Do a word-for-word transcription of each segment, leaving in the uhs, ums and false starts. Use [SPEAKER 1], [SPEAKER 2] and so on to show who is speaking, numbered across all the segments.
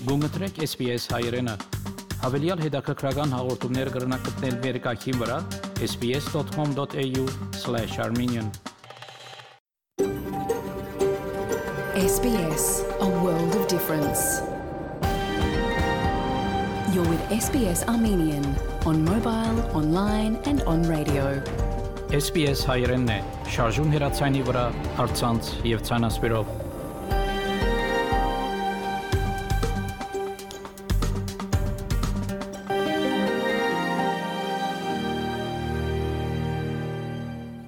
[SPEAKER 1] Գումտրեք S B S հայերենը։ Հավելյալ հետաքրքրական հաղորդումներ կգրնակցնել վերկայքին վրա s b s dot com dot a u slash armenian
[SPEAKER 2] S B S, a world of difference. You're with S B S Armenian on mobile, online and on radio.
[SPEAKER 1] S B S հայերենն է, շարժուն հեռացանի վրա, առցանց եւ ցանասպիրով։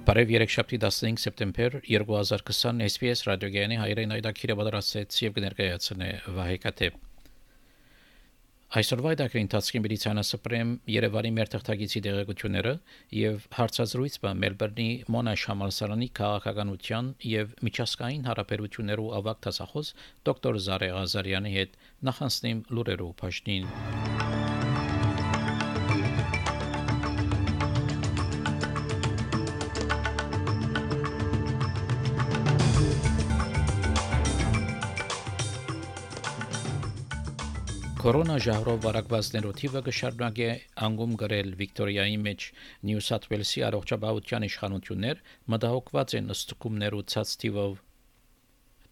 [SPEAKER 1] Բարև երեքշաբթի տասնհինգ սեպտեմբեր երկու հազար քսան S B S ռադիոգյանի հայերեն այդակիրը պատրաստեց եւ կներկայացնե Վահե Կատեփ։ Այսօրվա այդակրի ընթացքի միլիցիանասպրեմ Երևանի մեր թղթակիցի տեղեկությունները եւ հարցազրույց բան Մելբուրնի Մոնաշ համալսարանի քաղաքականության եւ միջազգային հարաբերություններու ավագ դասախոս դոկտոր Զարե Ղազարյանի հետ նախանցնիմ լուրերով փաշտին։ Կորոնա ժահրով վարակվածներու թիվը կշարունակի անգում գրել Վիկտորիայի մեջ Նյու Սաթ Ուելսի առողջապահության իշխանություններ մտահոգված են ըստկումներու ցած թիվով։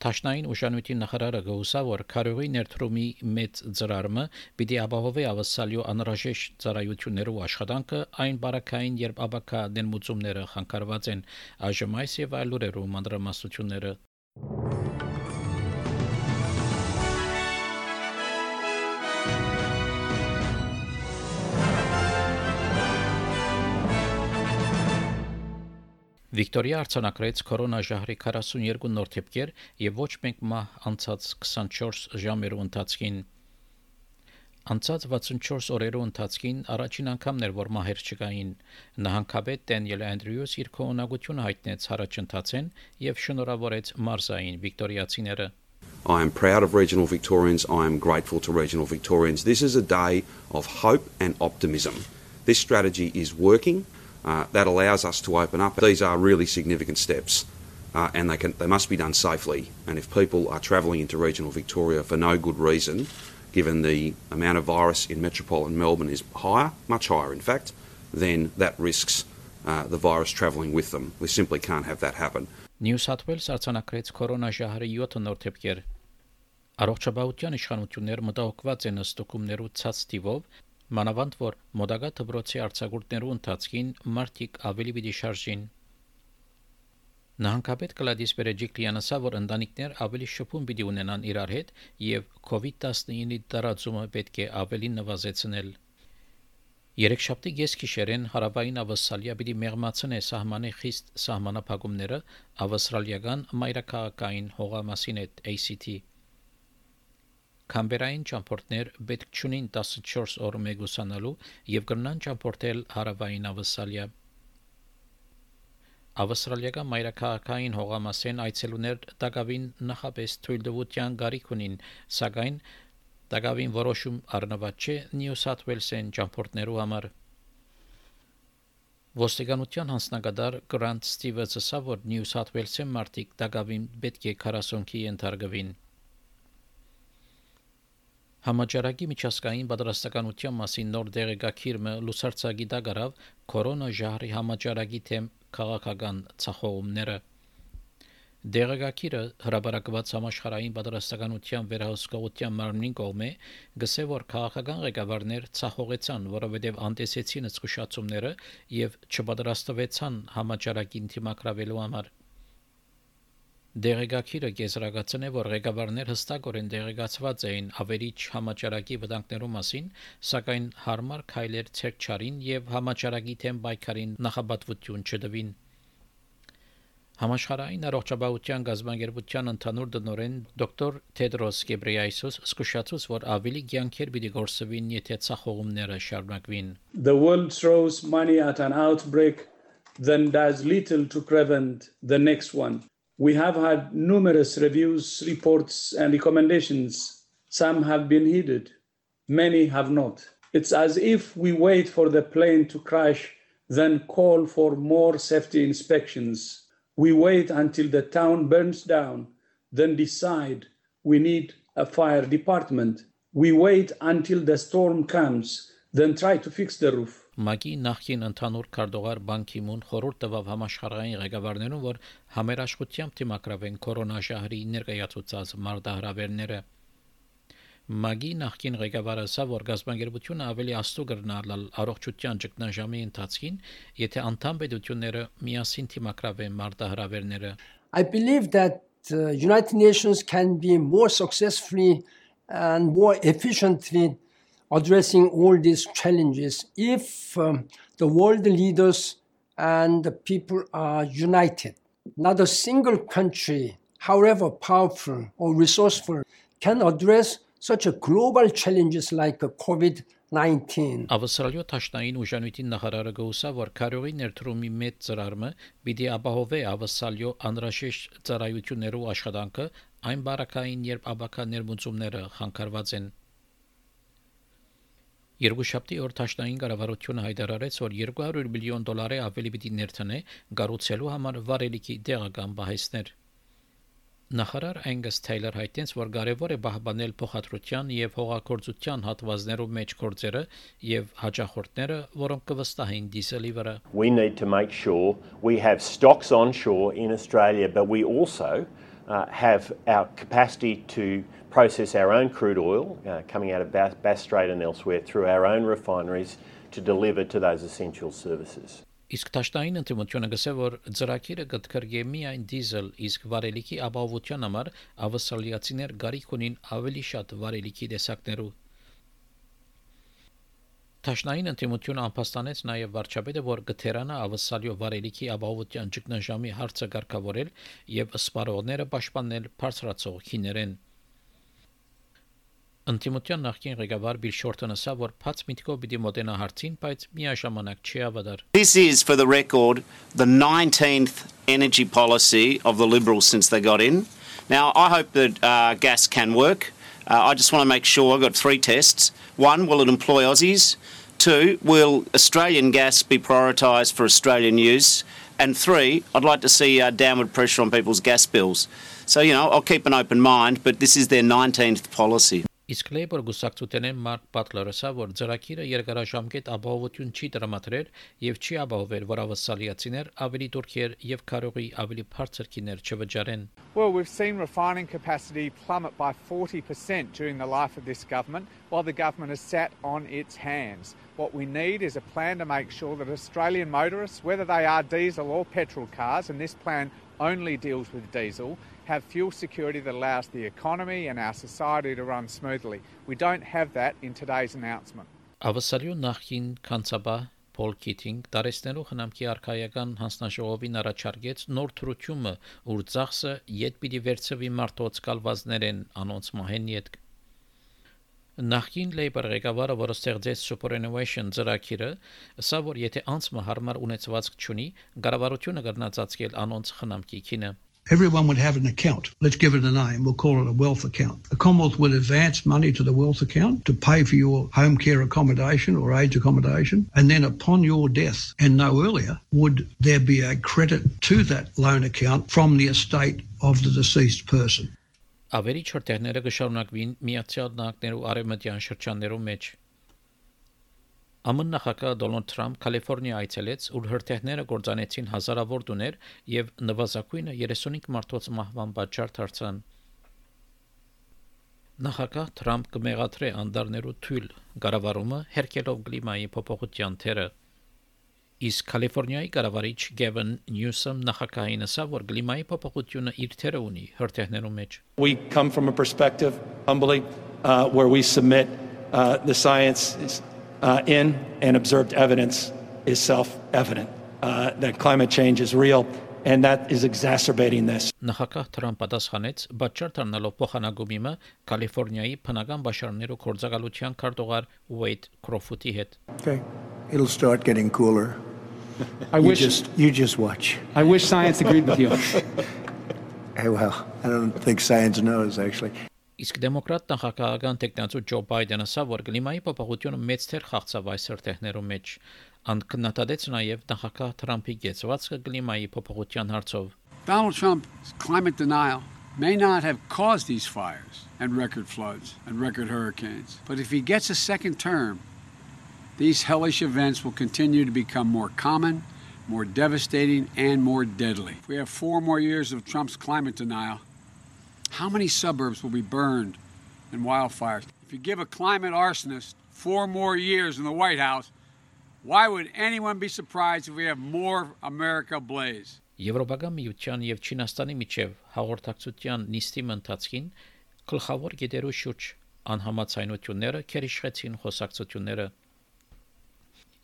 [SPEAKER 1] Տաշնային ուժանույթի նախարարը գոհուսա որ քարոյի ներդրումի մեծ ծրարը պիտի ապահովի ավասալյո անհրաժեշտ ծառայություններու աշխատանքը այն բարակային երբ աբակա դենմուծումները խանգարված են այժմ այս եւ այլ լուրերու մանրամասնությունները Վիկտորիա արձանագրեց կորոնա ժահրի քառասունյոթ նոր դեպքեր եւ ոչ մեկ մահ անցած քսանչորս ժամերու ընթացքին անցած վաթսունչորս օրերու ընթացքին առաջին անգամն էր որ մահեր չկային նահանգապետ Դենիել Անդրյուս իր կողմնակությունը հայտնեց հարաճընթացեն եւ շնորհավորեց մարզային վիկտորիացիները
[SPEAKER 3] I am proud of regional Victorians. I am grateful to regional Victorians. This is a day of hope and optimism. This strategy is working. Uh, that allows us to open up. These are really significant steps, uh, and they can they must be done safely. And if people are travelling into regional Victoria for no good reason, given the amount of virus in metropolitan Melbourne is higher, much higher in fact, then that risks uh, the virus travelling with them. We simply can't have that happen.
[SPEAKER 1] New South Wales արձանագրեց կորոնա ժահրի յոթ նոր դեպքեր։ Առողջապահության իշխանությունները մտահոգված են ըստուկումներու ցած թիվով Մանավանդ որ մոդագա դբրոցի արձակուրդներու ընթացքին մարտիկ ավելի պիտի շարժին Նահանգապետ Կլադիս Բերեջիկլյանը ասա որ ընտանիքներ ավելի շփում պիտի ունենան իրար հետ եւ կովիդ տասնինի տարածումը պետք է ավելի նվազեցնել Երեքշաբթի գեսկիշերեն հարավային ավստրալիա պիտի մեղմացնե սահմանի խիստ սահմանափակումները ավստրալիական մայրաքաղաքային հողամասին հետ A C T Կամբերային ճամփորդներ պետք չունին տասնչորս օր մեգուսանալու եւ կրնան ճամփորդել հարավային ավստրալիա Ավստրալիական մայրաքաղաքային հողամասեն այցելուներ դակավին նախապես թույլտվության գարիք ունին սակայն դակավին որոշում առնված չէ Նյու Սաթ Ուելսեն ճամփորդներու համար Ոստիկանության հանձնագետար Գրանտ Ստիվենսը ասա որ Նյու Սաթ Ուելսեն մարտիկ դակավին պետք է քառասունքի ենթարկվին Համաճարակի միջազգային պատրաստականության մասին նոր դեղեկագիրը լուսարձակի դագարավ կորոնա ժահրի համաճարակի թեմ քաղաքական ցախողումները Դեղեկագիրը հրապարակված համաշխարհային պատրաստականության վերահսկողության մարմնին կողմէ գսե որ քաղաքական ղեկավարներ ցախողեցան որովհետև անտեսեցին զսկուշացումները եւ չպատրաստվեցան համաճարակին թիմակրավելու համար Դեղեկագիրը կեզրակացնե որ ղեկավարներ հստակորեն դեղեկացված էին ավերիչ համաճարակի վտանգներու մասին, սակայն հարմար քայլեր ցերկչարին եւ համաճարակի թեմ պայքարին նախապատվություն չդվին։ Համաշխարհային առողջապահության գազագերբության ընդհանուր տնօրեն դոկտոր Թեդրոս Գեբրեյեսուս զսկուշացուց որ ավելի կյանքեր պիտի գործվին եթե ցախողումները շարունակվին։
[SPEAKER 4] The world throws money at an outbreak then does little to prevent the next one. We have had numerous reviews, reports, and recommendations. Some have been heeded, many have not. It's as if we wait for the plane to crash, then call for more safety inspections. We wait until the town burns down, then decide we need a fire department. we wait until the storm comes, then try to fix the roof.
[SPEAKER 1] Մագի նախկին ընդհանուր քարտուղար Բան Կի-մուն խորհուրդ տվավ համաշխարհային ղեկավարներուն, որ համերաշխությամբ դիմակրավեն կորոնաժահրի ներկայացուցած մարտահրավերները։ Մագի նախկին ղեկավարը ասա, որ գազբանգերությունը ավելի աստու կգնալ առողջության ճգնաժամի ընթացքին, եթե անդամ պետությունները միասին դիմակրավեն մարտահրավերները։
[SPEAKER 5] I believe that the United Nations can be more successfully and more efficiently addressing all these challenges if um, the world leaders and the people are united. Not a single country, however powerful or resourceful, can address such a global challenges like COVID nineteen.
[SPEAKER 1] Ավստրալիա Թաշնային ուժանույթի նախարարը գուսա, որ քարյողի ներդրումի մեծ ծրարը պիտի ապահովե ավստրալիա անհրաժեշտ ծառայություններու աշխատանքը այն բարակային, երբ աբակա ներմուծումները խանգարված են։ Երկուշաբթի օր Թաշնային կառավարությունը հայտարարեց, որ երկու հարյուր միլիոն դոլարի ավելի պիտի ներդնե կառուցելու համար վարելիքի տեղական բահեսներ։ Նախարար Angus Taylor հայտնեց, որ կարևոր է պահպանել փոխադրության եւ հողագործության հատվածներու մեջ գործերը եւ հաջախորդները, որոնք կվստահեն դիզելի վրա։
[SPEAKER 6] We need to make sure we have stocks onshore in Australia, but we also uh, have our capacity to process our own crude oil uh, coming out of Bass, Bass Strait and elsewhere through our own refineries to deliver to those essential services.
[SPEAKER 1] Իսկ Թաշնային ընդդիմությունը գսե, որ ծրագիրը կդկրգե միայն դիզել, իսկ վարելիքի ապահովության համար ավստրալիացիներ գարիք ունին ավելի շատ վարելիքի տեսակներու։ Թաշնային ընդդիմությունը անփաստանեց նաև վարչապետը, որ գթերանա ավստրալիա վարելիքի ապահովության ճգնաժամի հարցը կարգավորել եւ սպառողները պաշտպանել բարձրացող քիներեն։ Ընդդիմության նախկին ղեկավար Բիլ Շորտոնը ասա, որ փած միտքով պիտի մոտենա հարցին, բայց միաժամանակ չի ավադար։
[SPEAKER 7] This is, for the record, the nineteenth energy policy of the Liberals since they got in. Now, I hope that uh, gas can work. Uh, I just want to make sure, I've got three tests. One, will it employ Aussies? Two, will Australian gas be prioritised for Australian use? And three, I'd like to see uh, downward pressure on people's gas bills. So, you know, I'll keep an open mind, but this is their nineteenth policy.
[SPEAKER 1] Իսկ Labour գուսակցութենեն Մարկ Բատլերը ասա, որ ծրագիրը երկարաժամկետ ապահովություն չի տրամադրել եւ չի ապահովել, որ ավստրալիացիներ ավելի դուրքեր եւ քարողի ավելի բարձր քիներ չվճարեն։
[SPEAKER 8] Well, we've seen refining capacity plummet by forty percent during the life of this government, while the government has sat on its hands. What we need is a plan to make sure that Australian motorists, whether they are diesel or petrol cars, and this plan only deals with diesel, have fuel security that allows the economy and our society to run smoothly. We don't have that in today's announcement.
[SPEAKER 1] Ավստրալիա նախին կանցաբա Paul Keating տարեստներու խնամքի արխայական հանձնաժողովին առաջարկեց նոր թրությունը, ուր ծախսը յետ պիտի վերցվի մարդոց կալվածներեն անոնց մահեն յետ։ Նախին Labour ղեկավարը, որը ստեղծեց Superannuation ծրագիրը, ասա, որ եթե անցը հարմար ունեցվածք չունի, կառավարությունը կգնացածկել անոնց խնամքի քինը։
[SPEAKER 9] Everyone would have an account. Let's give it a name. We'll call it a wealth account. The Commonwealth would advance money to the wealth account to pay for your home care accommodation or aged accommodation. And then upon your death, and no earlier, would there be a credit to that loan account from the estate of the deceased person.
[SPEAKER 1] Ավելի չորտերները կշարունակվին Միացյալ Նահանգներու արևմտյան շրջաններու մեջ։ ԱՄՆ նախագահ Դոնալդ Թրամփ Կալիֆոռնիա այցելեց, ուր հրթիռները կործանեցին հազարավոր տուներ եւ նվազագույնը երեսունհինգ մարդոց մահվան պատճառ դարձան։ Նախագահ Թրամփ կմեղադրե անդառներու թույլ կառավարումը հերկելով կլիմայի փոփոխության թերը։ Իսկ Կալիֆոռնիայի կառավարիչ Գևին Նյուսոմ նախագահին ասա, որ կլիմայի փոփոխությունը իր թերը ունի հրթիռներու մեջ։
[SPEAKER 10] We come from a perspective, humbly, uh, where we submit uh, the science is, uh, in and observed evidence is self-evident uh, that climate change is real and that is exacerbating this.
[SPEAKER 1] Նախագահ Թրամփ պատասխանեց, պատճառ դառնալով փոխանակումը Կալիֆոռնիայի բնական բաշարներու գործակալության քարտուղար Ուեյդ Քրոֆուտի հետ։
[SPEAKER 11] Okay, it'll start getting cooler.
[SPEAKER 12] I
[SPEAKER 11] you
[SPEAKER 12] wish
[SPEAKER 11] just you just watch.
[SPEAKER 12] I wish science agreed with you.
[SPEAKER 11] Hey, well, I don't think science knows actually.
[SPEAKER 1] Իսկ դեմոկրատ նախագահական տեխնացու Ջո Բայդենը ասա, որ կլիմայի փոփոխությունը մեծ թեր խաղացավ այս հրթիռներու մեջ, անկնատադեց նաև նախագահ Թրամփի գեցվածքը կլիմայի փոփոխության հարցով։
[SPEAKER 12] Donald Trump's climate denial
[SPEAKER 13] may not have caused these fires and record floods and record hurricanes, but if he gets a second term, these hellish events will continue to become more common, more devastating, and more deadly. If we have four more years of Trump's climate denial, how many suburbs will be burned in wildfires? If you give a climate arsonist four more years in the White House, why would anyone be surprised if we have more America ablaze?
[SPEAKER 1] Եվրոպական միության եւ Չինաստանի միջև հաղորդակցության նիստի ընթացքին գլխավոր գիտերու շուրջ անհամաձայնությունները քերիշխեցին խոսակցությունները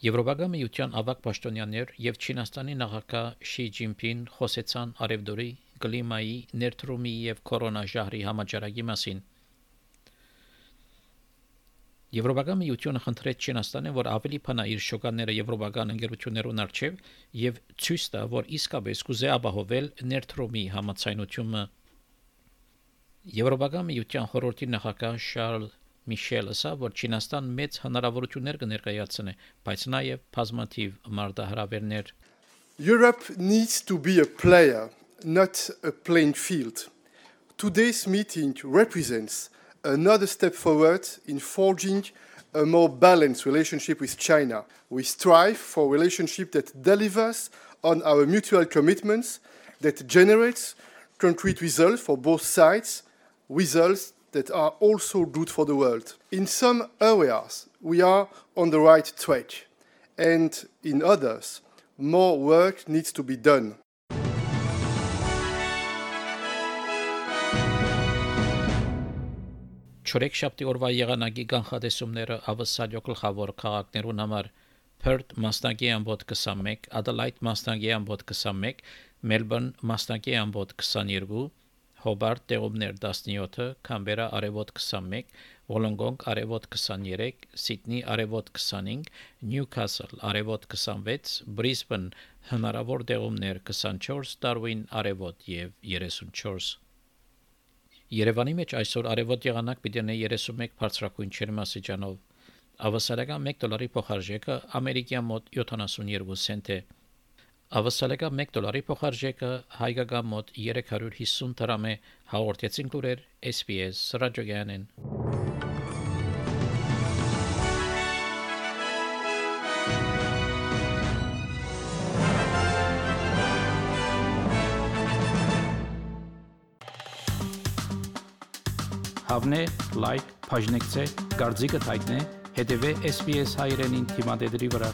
[SPEAKER 1] Եվրոպական միության ավագ պաշտոնյաներ եւ Չինաստանի նախագահ Շի Ջինպին խոսեցան արևդուրի կլիմայի ներդրումի եւ կորոնաժահրի համաճարակի մասին Եվրոպական միությունը խնդրեց Չինաստանին, որ ավելի փնա իր շոկաները եվրոպական ընկերություններուն արչև եւ ցույց տա, որ իսկապես կուզե ապահովել ներդրումի համաձայնությունը Եվրոպական միության խորհրդի նախագահ Շարլ Միշելը ասա, որ Չինաստան մեծ հնարավորություններ կներկայացնի, բայց նաեւ բազմաթիվ մարտահրավերներ
[SPEAKER 14] Europe needs to be a player, not a playing field. Today's meeting represents another step forward in forging a more balanced relationship with China. We strive for a relationship that delivers on our mutual commitments, that generates concrete results for both sides, results that are also good for the world. In some areas, we are on the right track, and in others, more work needs to be done.
[SPEAKER 1] Չորեքշաբթի օրվա եղանակի կանխատեսումները ավսալյո գլխավոր քաղաքներուն համար Perth մասնակի ամբոտ քսանմեկ, Adelaide մասնակի ամբոտ քսանմեկ, Melbourne մասնակի ամբոտ քսաներկու, Hobart տեղումներ տասնյոթ, Canberra արևոտ քսանմեկ, Wollongong արևոտ քսաներեք, Sydney արևոտ քսանհինգ, Newcastle արևոտ քսանվեց, Brisbane հնարավոր տեղումներ քսանչորս, Darwin արևոտ եւ երեսունչորս Երևանի մեջ այսօր արևոտ եղանակ պիտի ունենա երեսունմեկ բարձրակույն ջերմաստիճանով։ Ավսալական մեկ դոլարի փոխարժեքը ամերիկյան մոտ յոթանասունյոթ سنت է։ Ավսալական մեկ դոլարի փոխարժեքը հայկական մոտ երեք հարյուր հիսուն դրամ է։ Հաղորդեցին լուրեր S B S ռադիոգյանեն։ Հավնե, լայք, բաժնեկցե, դարձիկը թայտնե, հետևե S B S հայրենին թիմադեդրի վրա։